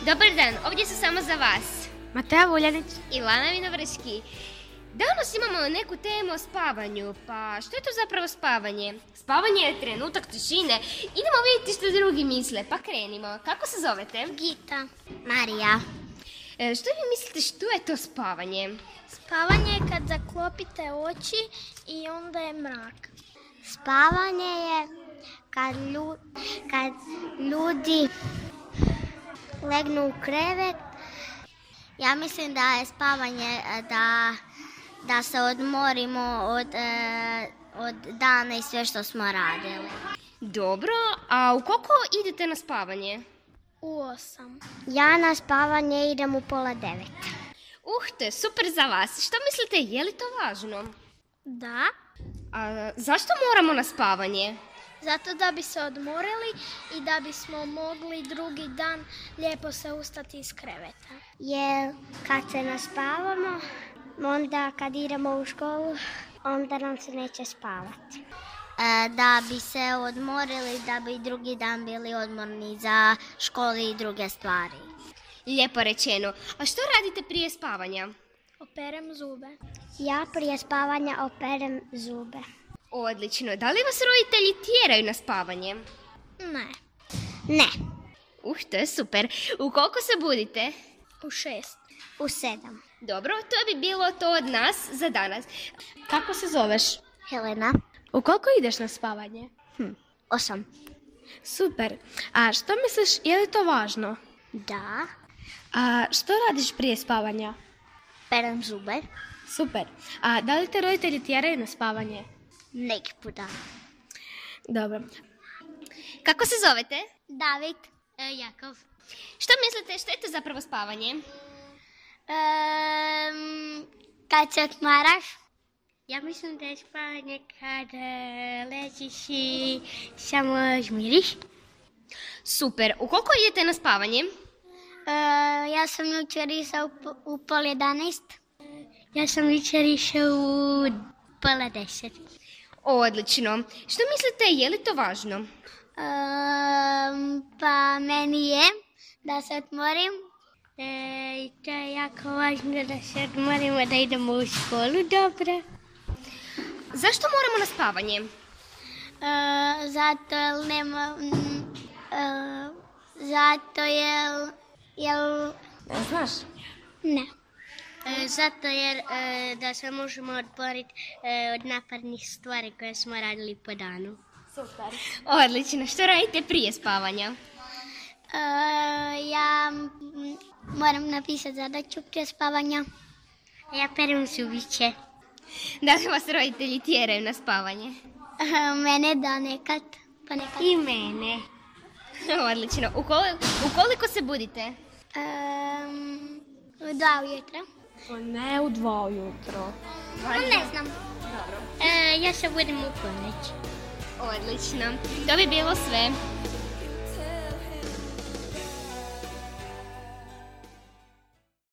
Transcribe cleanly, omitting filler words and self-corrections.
Dobar dan, ovdje su samo za vas Mateja Vuljanić i Lana Vinovrški. Danas imamo neku temu o spavanju, pa što je to zapravo spavanje? Spavanje je trenutak tišine, idemo vidjeti što drugi misle, pa krenimo. Kako se zovete? Gita. Marija. Što vi mislite što je to spavanje? Spavanje je kad zaklopite oči i onda je mrak. Spavanje je kad ljudi legnu u krevet. Ja mislim da je spavanje da se odmorimo od dana i sve što smo radili. Dobro, a u koliko idete na spavanje? U 8. Ja na spavanje idem u 8:30. To je super za vas. Što mislite, je li to važno? Da. A zašto moramo na spavanje? Zato da bi se odmorili i da bismo mogli drugi dan lijepo se ustati iz kreveta. Jer kad se naspavamo, onda kad idemo u školu, onda nam se neće spavati. Da bi se odmorili, da bi drugi dan bili odmorni za školu i druge stvari. Lijepo rečeno. A što radite prije spavanja? Operem zube. Ja prije spavanja operem zube. Odlično. Da li vas roditelji tjeraju na spavanje? Ne. Ne. To je super. U koliko se budite? U 6. U 7. Dobro, to bi bilo to od nas za danas. Kako se zoveš? Helena. U koliko ideš na spavanje? 8. Super. A što misliš, je li to važno? Da. A što radiš prije spavanja? Perem zube. Super. A da li te roditelji tjeraju na spavanje? Neki puta. Dobro. Kako se zovete? David. Jakov. Što mislite, što je to zapravo spavanje? Kad se odmaraš. Ja mislim da je spavanje kad ležiš i samo žmiriš. Super. U koliko idete na spavanje? Ja sam jučer išao u 9:30. Ja sam jučer išao u 9:30. Odlično. Što mislite, je li to važno? Pa meni je da se odmorim. I to je jako važno da se odmorimo, da idemo u školu, dobro. Zašto moramo na spavanje? Zato jer nema... zato jer... Ne znaš? Ne. Zato jer da se možemo odboriti od napadnih stvari koje smo radili po danu. Super. Odlično. Što radite prije spavanja? Ja moram napisati zadaću prije spavanja. Ja perem zubiće. Da li vas roditelji tjeraju na spavanje? Mene da nekad, pa nekad. I mene. Odlično. U koliko se budite? U 2 ujutro. Ne u 2 ujutro. Ne znam. Ja se budem u ponoć. Odlično. To bi bilo sve.